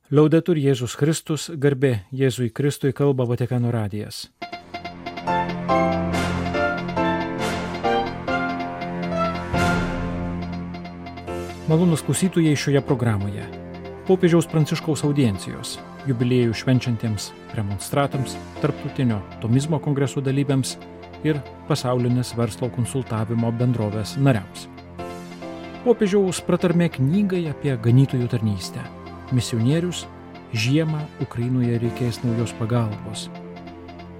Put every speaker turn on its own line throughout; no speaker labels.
Liaudetur Jėzus Kristus, garbė Jėzui Kristui, kalba Vatikano radijas. Malonūs klausytojai šioje programoje. Popiežiaus Pranciškaus audiencijos, jubiliejų švenčiantiems premonstratams, tarptautinio tomizmo kongreso dalyviams ir pasaulinės verslo konsultavimo bendrovės nariams. Popiežiaus pratarmė knygai apie ganytojų tarnystę. Misionierius, žiemą Ukrainoje reikės naujos pagalbos.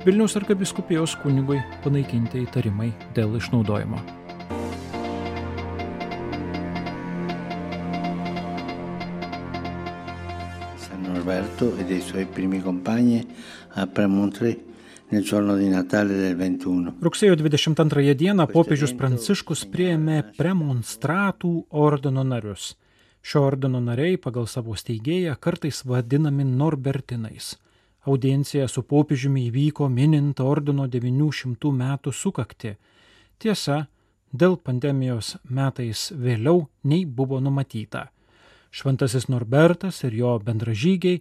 Vilniaus arkivyskupijos kunigui panaikinti įtarimai dėl išnaudojimo.
San Norberto e dei suoi primi compagni a Premontré nel giorno di Natale del 21.
Rugsėjo 22 dieną popiežius Pranciškus priėmė premonstratų ordino narius. Šio ordino nariai pagal savo steigėją kartais vadinami Norbertinais. Audiencija su popiežiumi įvyko minint ordino 900 metų sukaktį. Tiesa, dėl pandemijos metais vėliau nei buvo numatyta. Šventasis Norbertas ir jo bendražygiai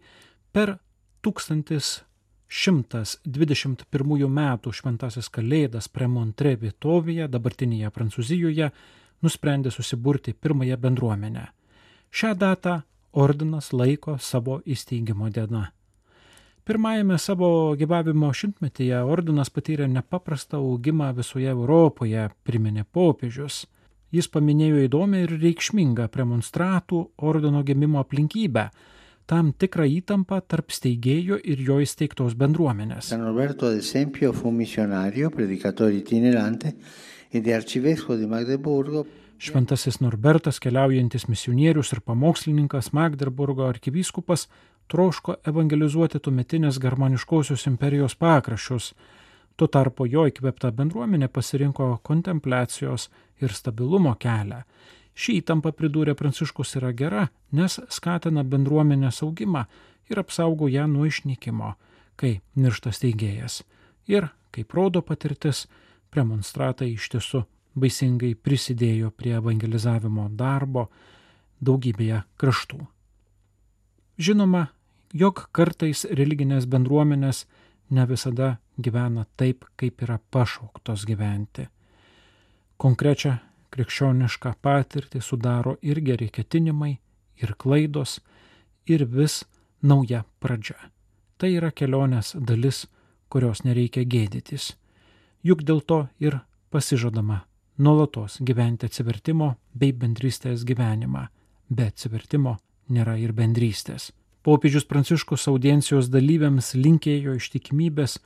per 1121 metų šventasis kalėdas Premontré vietovėje, dabartinėje Prancūzijoje, nusprendė susiburti pirmąją bendruomenę. Šią datą ordinas laiko savo įsteigimo diena. Pirmajame savo gyvavimo šimtmetyje ordinas patyrė nepaprastą augimą visoje Europoje, priminė popiežius. Jis paminėjo įdomią ir reikšmingą premonstratų ordino gimimo aplinkybę, tam tikrą įtampą tarp steigėjo ir jo įsteigtos bendruomenės.
San Norberto, ad esempio, fu missionario, predicatore itinerante ed arcivescovo di Magdeburgo.
Šventasis Norbertas, keliaujantis misionierius ir pamokslininkas, Magdeburgo arkivyskupas, troško evangelizuoti tuometinės germaniškosios imperijos pakraščius. Tuo tarpu jo įkvėpta bendruomenė pasirinko kontempliacijos ir stabilumo kelią. Ši įtampa, pridūrė Pranciškus, yra gera, nes skatina bendruomenės augimą ir apsaugo ją nuo išnykimo, kai miršta steigėjas. Ir, kaip rodo patirtis, premonstratai iš tiesų baisingai prisidėjo prie evangelizavimo darbo daugybėje kraštų. Žinoma, jog kartais religinės bendruomenės ne visada gyvena taip, kaip yra pašauktos gyventi. Konkrečią krikščionišką patirtį sudaro ir geri ketinimai, ir klaidos, ir vis nauja pradžia. Tai yra kelionės dalis, kurios nereikia gėdytis. Juk dėl to ir pasižadama nuolatos gyventi atsivertimo bei bendrystės gyvenimą. Be atsivertimo nėra ir bendrystės. Popiežius Pranciškus audiencijos dalyviams linkėjo ištikimybės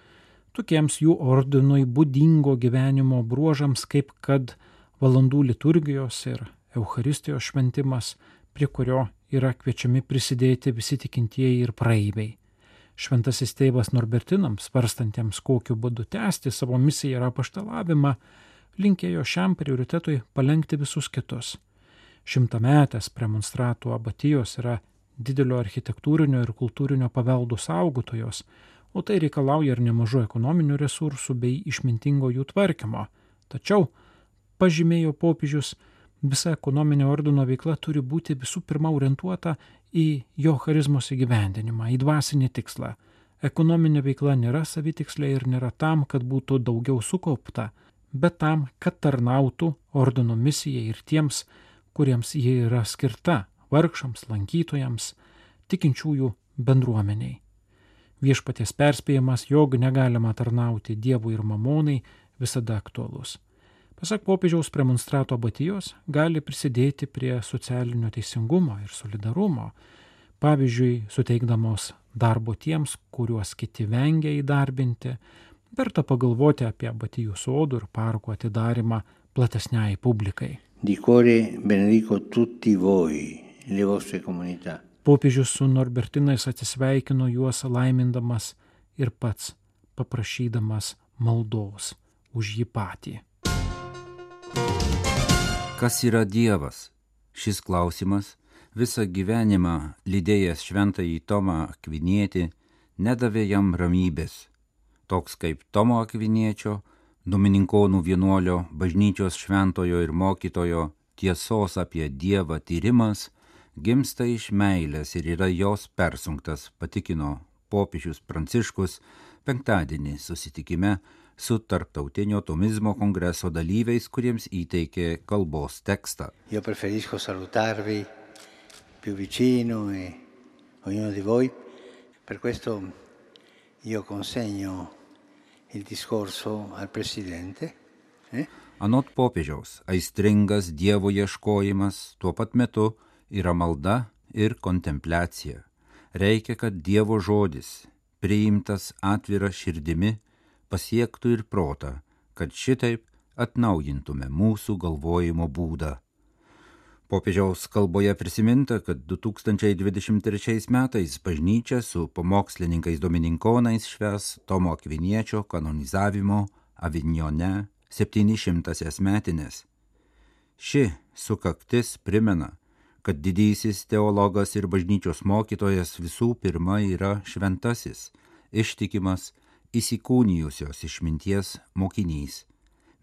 tokiems jų ordinui būdingo gyvenimo bruožams, kaip kad valandų liturgijos ir Eucharistijos šventimas, prie kurio yra kviečiami prisidėti visi tikintieji ir praeiviai. Šventasis tėvas Norbertinams, svarstantiems kokiu būdu tęsti savo misiją ir apaštalavimą, linkėjo šiam prioritetui palenkti visus kitus. Šimtametės premonstratų abatijos yra didelio architektūrinio ir kultūrinio paveldo saugotojos, o tai reikalauja ir nemažų ekonominių resursų bei išmintingo jų tvarkymo. Tačiau, pažymėjo popiežius, visa ekonominė ordino veikla turi būti visų pirma orientuota į jo charizmos įgyvendinimą, į dvasinį tikslą. Ekonominė veikla nėra savitikslė ir nėra tam, kad būtų daugiau sukaupta, bet tam, kad tarnautų ordino misijai ir tiems, kuriems jie yra skirta, vargšams, lankytojams, tikinčiųjų bendruomeniai. Viešpaties perspėjimas, jog negalima tarnauti Dievui ir mamonai, visada aktualus. Pasak popiežiaus, premonstrato abatijos gali prisidėti prie socialinio teisingumo ir solidarumo, pavyzdžiui, suteikdamos darbo tiems, kuriuos kiti vengia įdarbinti. Verta pagalvoti apie abatijų sodų ir parkų atidarimą platesniai publikai.
Di cuore benedico tutti voi, le vostre comunità.
Popiežius su Norbertinais atsisveikino juos laimindamas ir pats paprašydamas maldos už jį patį.
Kas yra Dievas? Šis klausimas, visą gyvenimą lydėjęs šventąjį Tomą Akvinietį, nedavė jam ramybės. Toks kaip Tomo Akviniečio, Domininkonų vienuolio, bažnyčios šventojo ir mokytojo tiesos apie Dievą tyrimas gimsta iš meilės ir yra jos persunktas, patikino popiežius Pranciškus penktadienį susitikime su Tarptautinio tomizmo kongreso dalyviais, kuriems įteikė kalbos tekstą.
Io preferisco salutarvi più vicino e ognuno di voi. Per questo io consegno il discorso al Presidente.
Anot popiežiaus, aistringas Dievo ieškojimas tuo pat metu yra malda ir kontempliacija. Reikia, kad Dievo žodis, priimtas atvira širdimi, pasiektų ir protą, kad šitaip atnaujintume mūsų galvojimo būdą. Popiežiaus kalboje prisiminta, kad 2023 metais bažnyčia su pamokslininkais domininkonais švęs Tomo Akviniečio kanonizavimo Avignone 700-asias metinės. Ši sukaktis primena, kad didysis teologas ir bažnyčios mokytojas visų pirma yra šventasis, ištikimas, įsikūnijusios išminties mokinys.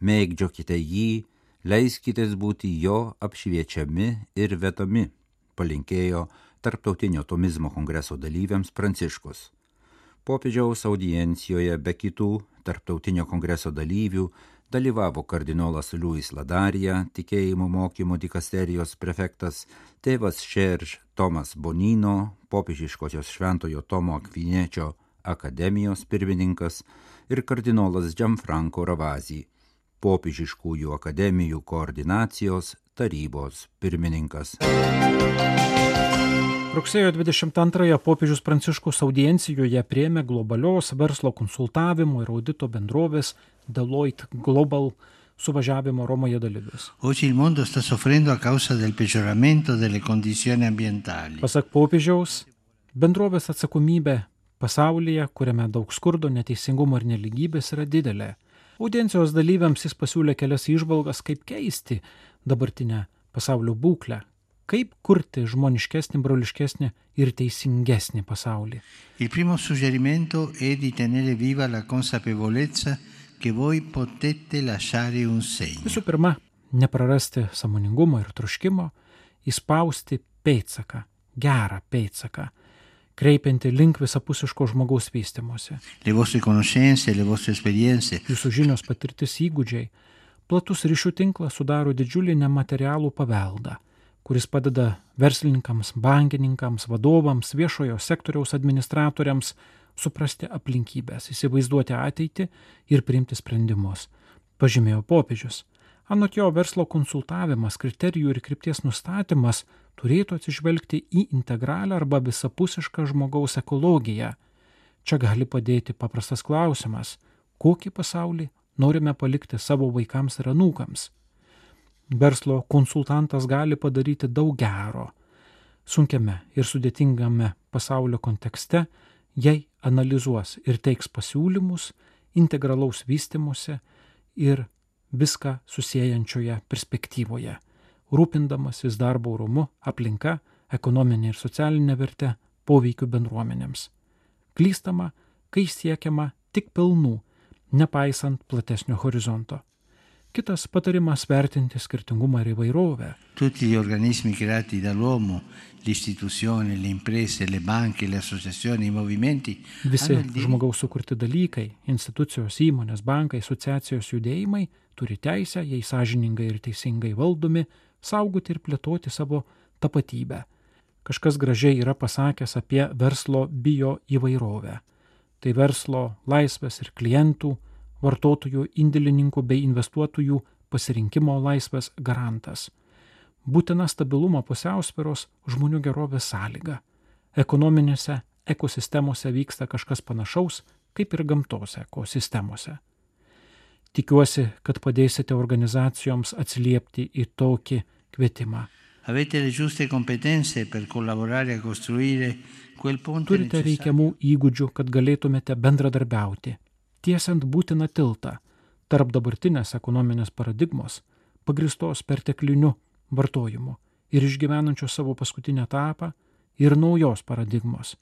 Mėgdžiokite jį, leiskitės būti jo apšviečiami ir vedami, palinkėjo Tarptautinio tomizmo kongreso dalyviams Pranciškus. Popiežiaus audiencijoje be kitų Tarptautinio kongreso dalyvių dalyvavo kardinolas Luis Ladarija, tikėjimo mokymo dikasterijos prefektas, tėvas Šerž Tomas Bonino, popiežiškosios Šventojo Tomo Akviniečio akademijos pirmininkas ir kardinolas Gianfranco Ravasi, popiežiškųjų akademijų koordinacijos tarybos pirmininkas.
Rugsėjo 22-ąją popiežius Pranciškus audiencijoje priėmė globalios verslo konsultavimo ir audito bendrovės Deloitte Global suvažiavimo Romoje dalyvius.
Oggi il mondo sta soffrendo a causa del peggioramento delle condizioni ambientali.
Pasak popiežiaus, bendrovės atsakomybė pasaulyje, kuriame daug skurdo, neteisingumo ir nelygybės, yra didelė. Audiencijos dalyviams jis pasiūlė kelias įžvalgas, kaip keisti dabartinę pasaulio būklę, kaip kurti žmoniškesnį, broliškesnį ir teisingesnį pasaulį.
Il primo suggerimento è di tenere viva la consapevolezza che voi potete lasciare un segno.
Visų pirma, neprarasti sąmoningumo ir troškimo, įspausti pėdsaką, gerą pėdsaką, kreipianti link visapusiško žmogaus vystymosi.
Le vostre conoscenze, le vostre esperienze.
Jūsų žinios, patirtis, įgūdžiai, platus ryšių tinklas sudaro didžiulį nematerialų paveldą, kuris padeda verslininkams, bankininkams, vadovams, viešojo sektoriaus administratoriams suprasti aplinkybės, įsivaizduoti ateitį ir priimti sprendimus, pažymėjo popiežius. Anot jo, verslo konsultavimas, kriterijų ir krypties nustatymas turėtų atsižvelgti į integralią arba visapusišką žmogaus ekologiją. Čia gali padėti paprastas klausimas, kokį pasaulį norime palikti savo vaikams ir anūkams. Verslo konsultantas gali padaryti daug gero sunkiame ir sudėtingame pasaulio kontekste, jei analizuos ir teiks pasiūlymus integralaus vystymuose ir viską susiejančioje perspektyvoje, rūpindamasis darbo orumu, aplinka, ekonominė ir socialinė verte, poveikiu bendruomenėms. Klystama, kai siekiama tik pelnų, nepaisant platesnio horizonto. Kitas patarimas vertinti skirtingumą ir įvairovę.
Tutti gli organismi creati dall'uomo, le istituzioni, le imprese, le banche, le associazioni, i movimenti.
Visi žmogaus sukurti dalykai, institucijos, įmonės, bankai, asociacijos, judėjimai turi teisę, jei sąžiningai ir teisingai valdomi, saugoti ir plėtoti savo tapatybę. Kažkas gražiai yra pasakęs apie verslo bio įvairovę. Tai verslo laisvės ir klientų, vartotojų, indėlininkų bei investuotojų pasirinkimo laisvės garantas. Būtina stabilumo pusiausvyros žmonių gerovės sąlyga. Ekonominėse ekosistemose vyksta kažkas panašaus, kaip ir gamtos ekosistemose. Tikiuosi, kad padėsite organizacijoms atsiliepti į tokį kvietimą.
Avete le giuste competenze per collaborare a costruire quel ponte
Turite reikiamų įgūdžių, kad galėtumėte bendradarbiauti, tiesiant būtiną tiltą tarp dabartinės ekonominės paradigmos, pagristos pertekliniu vartojimu ir išgyvenančios savo paskutinę etapą, ir naujos paradigmos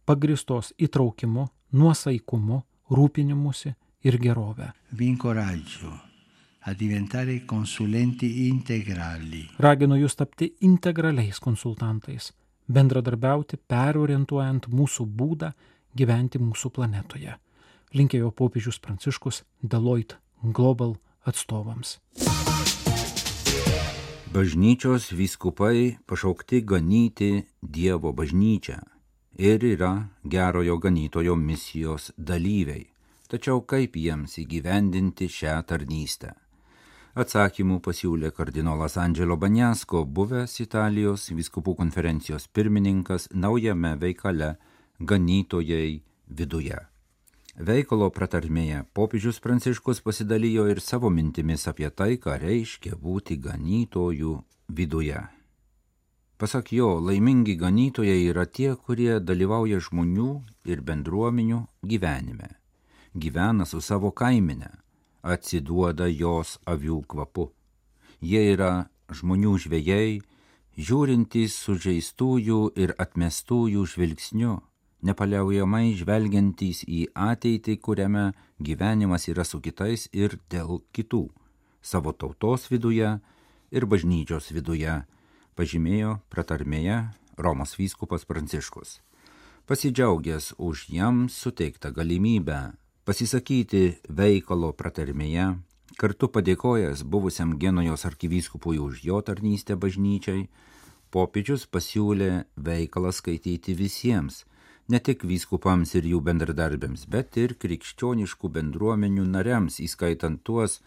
pagristos įtraukimu, nuosaikumu, rūpinimusi ir gerovę.
Vi incoraggio a diventare consulenti integrali.
Raginu jūs tapti integraliais konsultantais, bendradarbiauti perorientuojant mūsų būdą gyventi mūsų planetoje. Linkėjo popiežius Pranciškus Deloitte Global atstovams.
Bažnyčios vyskupai pašaukti ganyti Dievo bažnyčią ir yra gerojo ganytojo misijos dalyviai. Tačiau kaip jiems įgyvendinti šią tarnystę? Atsakymų pasiūlė kardinolas Angelo Bagnasko, buvęs Italijos vyskupų konferencijos pirmininkas naujame veikale Ganytojai viduje. Veikalo pratarmėje popiežius Pranciškus pasidalijo ir savo mintimis apie tai, ką reiškia būti ganytojų viduje. Pasak jo, laimingi ganytojai yra tie, kurie dalyvauja žmonių ir bendruomenių gyvenime, gyvena su savo kaimine, atsiduoda jos avių kvapu. Jie yra žmonių žvejai, žiūrintys sužeistųjų ir atmestųjų žvilgsniu, nepaliaujamai žvelgiantys į ateitį, kuriame gyvenimas yra su kitais ir dėl kitų, savo tautos viduje ir bažnyčios viduje, pažymėjo pratarmėje Romos vyskupas Pranciškus. Pasidžiaugęs už jam suteiktą galimybę pasisakyti veikalo pratarmėje, kartu padėkojęs buvusiam Genujos arkivyskupui už jo tarnystę bažnyčiai, popiežius pasiūlė veikalą skaityti visiems, ne tik vyskupams ir jų bendradarbiams, bet ir krikščioniškų bendruomenių nariams, įskaitant tuos,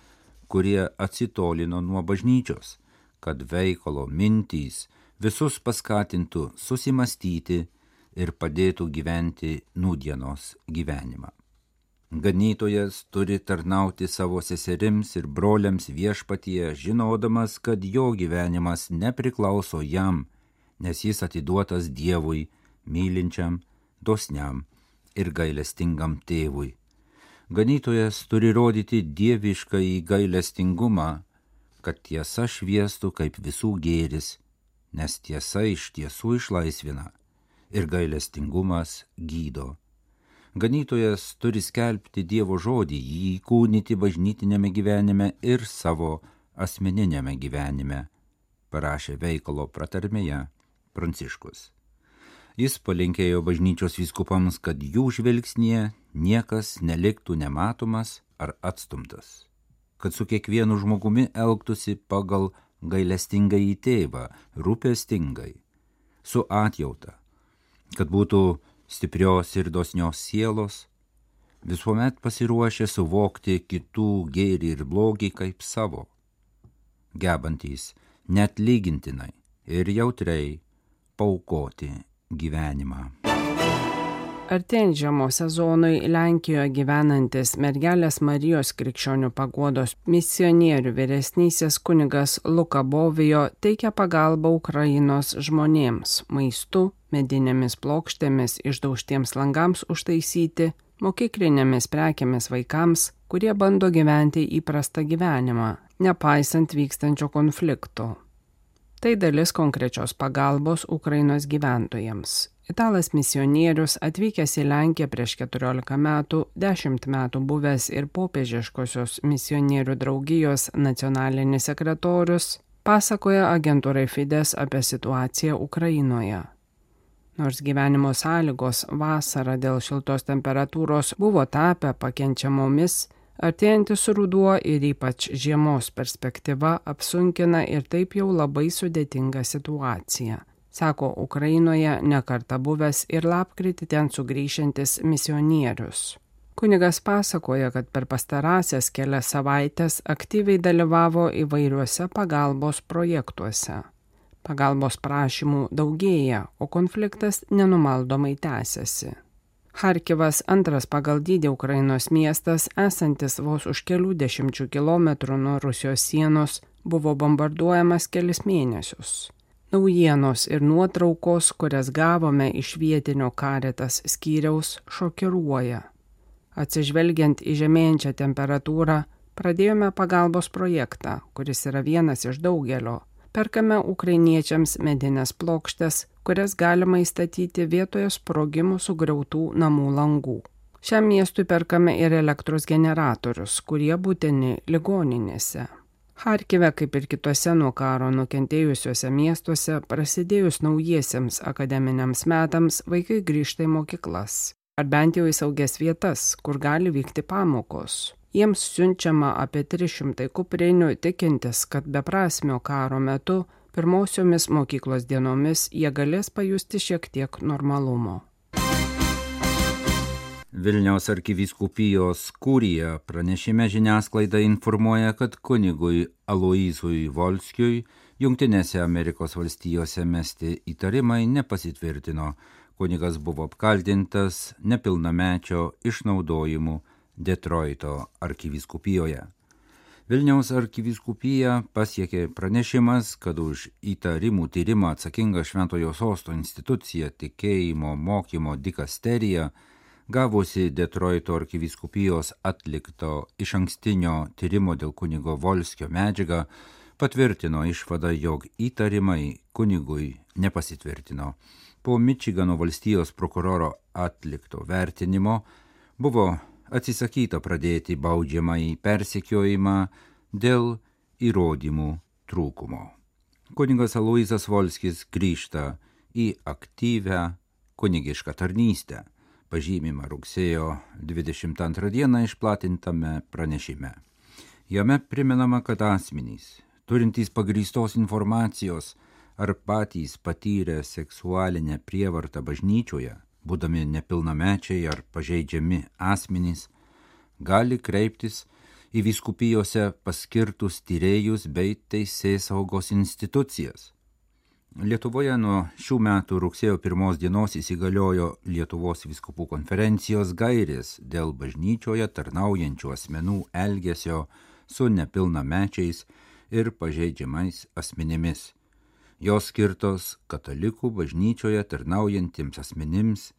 kurie atsitolino nuo bažnyčios, kad veikalo mintys visus paskatintų susimastyti ir padėtų gyventi nūdienos gyvenimą. Ganytojas turi tarnauti savo seserims ir broliams viešpatyje, žinodamas, kad jo gyvenimas nepriklauso jam, nes jis atiduotas Dievui, mylinčiam, dosniam ir gailestingam tėvui. Ganytojas turi rodyti dieviškąjį gailestingumą, kad tiesa šviestų kaip visų gėris, nes tiesa iš tiesų išlaisvina ir gailestingumas gydo. Ganytojas turi skelbti Dievo žodį, jį įkūnyti bažnytinėme gyvenime ir savo asmeninėme gyvenime, parašė veikalo pratarmėje Pranciškus. Jis palinkėjo bažnyčios vyskupams, kad jų žvilgsnyje niekas neliktų nematomas ar atstumtas, kad su kiekvienu žmogumi elgtųsi pagal gailestingąjį tėvą, rūpestingai, su atjauta, kad būtų stiprios ir dosnios sielos, visuomet pasiruošę suvokti kitų gėrį ir blogį kaip savo, gebantys net lygintinai ir jautriai paaukoti gyvenimą.
Artėjant žiemos sezonui Lenkijoje gyvenantis Mergelės Marijos Krikščionių Paguodos misionierių vyresnysis kunigas Luka Bovijo teikia pagalbą Ukrainos žmonėms maistu, medinėmis plokštėmis, išdaužtiems langams užtaisyti, mokyklinėmis prekėmis vaikams, kurie bando gyventi įprastą gyvenimą, nepaisant vykstančio konflikto. Tai dalis konkrečios pagalbos Ukrainos gyventojams. Italas misionierius atvykęs į Lenkiją prieš 14 metų, 10 metų buvęs ir popiežiškosios misionierių draugijos nacionalinis sekretorius, pasakoja agentūrai Fides apie situaciją Ukrainoje. Nors gyvenimo sąlygos vasarą dėl šiltos temperatūros buvo tapę pakenčiamomis, artėjantis ruduo ir ypač žiemos perspektyva apsunkina ir taip jau labai sudėtingą situaciją, sako Ukrainoje nekartą buvęs ir lapkritį ten sugrįšiantis misionierius. Kunigas pasakoja, kad per pastarąsias kelias savaitės aktyviai dalyvavo įvairiuose pagalbos projektuose. Pagalbos prašymų daugėja, o konfliktas nenumaldomai tęsiasi. Charkivas, antras pagal dydį Ukrainos miestas, esantis vos už kelių dešimčių kilometrų nuo Rusijos sienos, buvo bombarduojamas kelis mėnesius. Naujienos ir nuotraukos, kurias gavome iš vietinio Caritas skyriaus, šokiruoja. Atsižvelgiant į žemėjančią temperatūrą, pradėjome pagalbos projektą, kuris yra vienas iš daugelio. Perkame ukrainiečiams medinės plokštes, kurias galima įstatyti vietoje sprogimų sugriautų namų langų. Šiam miestui perkame ir elektros generatorius, kurie būtini ligoninėse. Charkive, kaip ir kitose nuo karo nukentėjusiuose miestuose, prasidėjus naujiesiems akademiniams metams, vaikai grįžta į mokyklas, ar bent jau į saugias vietas, kur gali vykti pamokos. Jiems siunčiama apie 300 kuprinių, tikintis, kad beprasmio karo metu pirmosiomis mokyklos dienomis jie galės pajusti šiek tiek normalumo.
Vilniaus arkivyskupijos kurija pranešime žiniasklaida informuoja, kad kunigui Aloyzui Volskiui Jungtinėse Amerikos valstijose mesti įtarimai nepasitvirtino. Kunigas buvo apkaltintas nepilnamečio išnaudojimu Detroito arkivyskupijoje. Vilniaus arkivyskupija pasiekė pranešimas, kad už įtarimų tyrimą atsakinga Šventojo Sosto institucija Tikėjimo mokymo dikasterija, gavusi Detroito arkivyskupijos atlikto išankstinio tyrimo dėl kunigo Volskio medžiagą, patvirtino išvadą, jog įtarimai kunigui nepasitvirtino. Po Mičigano valstijos prokuroro atlikto vertinimo buvo atsisakyta pradėti baudžiamąjį persekiojimą dėl įrodymų trūkumo. Kunigas Aloyzas Volskis grįžta į aktyvią kunigišką tarnystę, pažymima rugsėjo 22 dieną išplatintame pranešime. Jame primenama, kad asmenys, turintys pagrįstos informacijos ar patys patyrę seksualinę prievartą bažnyčioje, būdami nepilnamečiai ar pažeidžiami asmenys, gali kreiptis į vyskupijose paskirtus tyrėjus bei teisėsaugos institucijas. Lietuvoje nuo šių metų rugsėjo 1 dienos įsigaliojo Lietuvos vyskupų konferencijos gairės dėl bažnyčioje tarnaujančių asmenų elgesio su nepilnamečiais ir pažeidžiamais asmenimis. Jos skirtos katalikų bažnyčioje tarnaujantiems asmenims,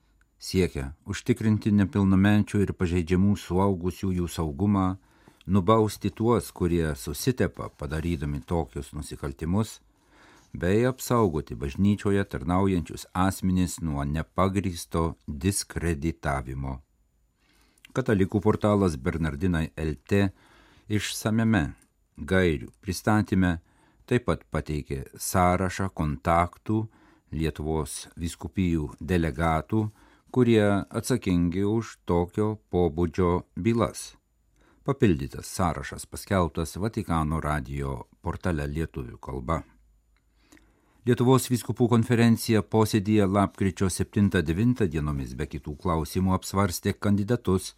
siekia užtikrinti nepilnamečių ir pažeidžiamų suaugusiųjų saugumą, nubausti tuos, kurie susitepa padarydami tokius nusikaltimus, bei apsaugoti bažnyčioje tarnaujančius asmenis nuo nepagrįsto diskreditavimo. Katalikų portalas Bernardinai LT išsamiame gairių pristatyme taip pat pateikė sąrašą kontaktų Lietuvos vyskupijų delegatų, kurie atsakingi už tokio pobūdžio bylas. Papildytas sąrašas paskelbtas Vatikano radijo portale lietuvių kalba. Lietuvos vyskupų konferencija posėdyje lapkričio 7-9 dienomis be kitų klausimų apsvarstė kandidatus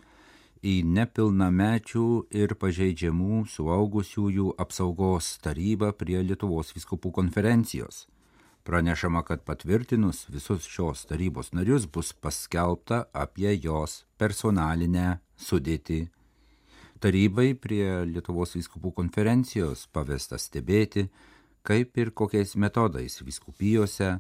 į nepilnamečių ir pažeidžiamų suaugusiųjų apsaugos tarybą prie Lietuvos vyskupų konferencijos. Pranešama, kad patvirtinus visus šios tarybos narius bus paskelbta apie jos personalinę sudėtį. Tarybai prie Lietuvos vyskupų konferencijos pavesta stebėti, kaip ir kokiais metodais vyskupijose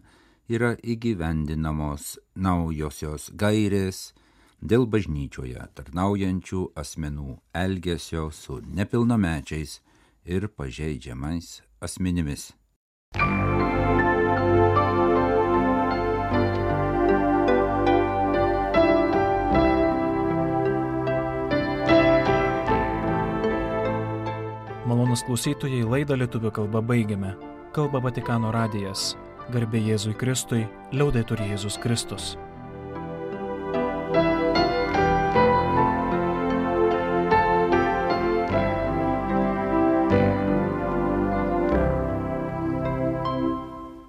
yra įgyvendinamos naujosios gairės dėl bažnyčioje tarnaujančių asmenų elgesio su nepilnamečiais ir pažeidžiamais asmenimis.
Malonūs klausytojai, laidą lietuvių kalba baigiame. Kalba Vatikano radijas. Garbė Jėzui Kristui, liaudetur Jėzus Kristus.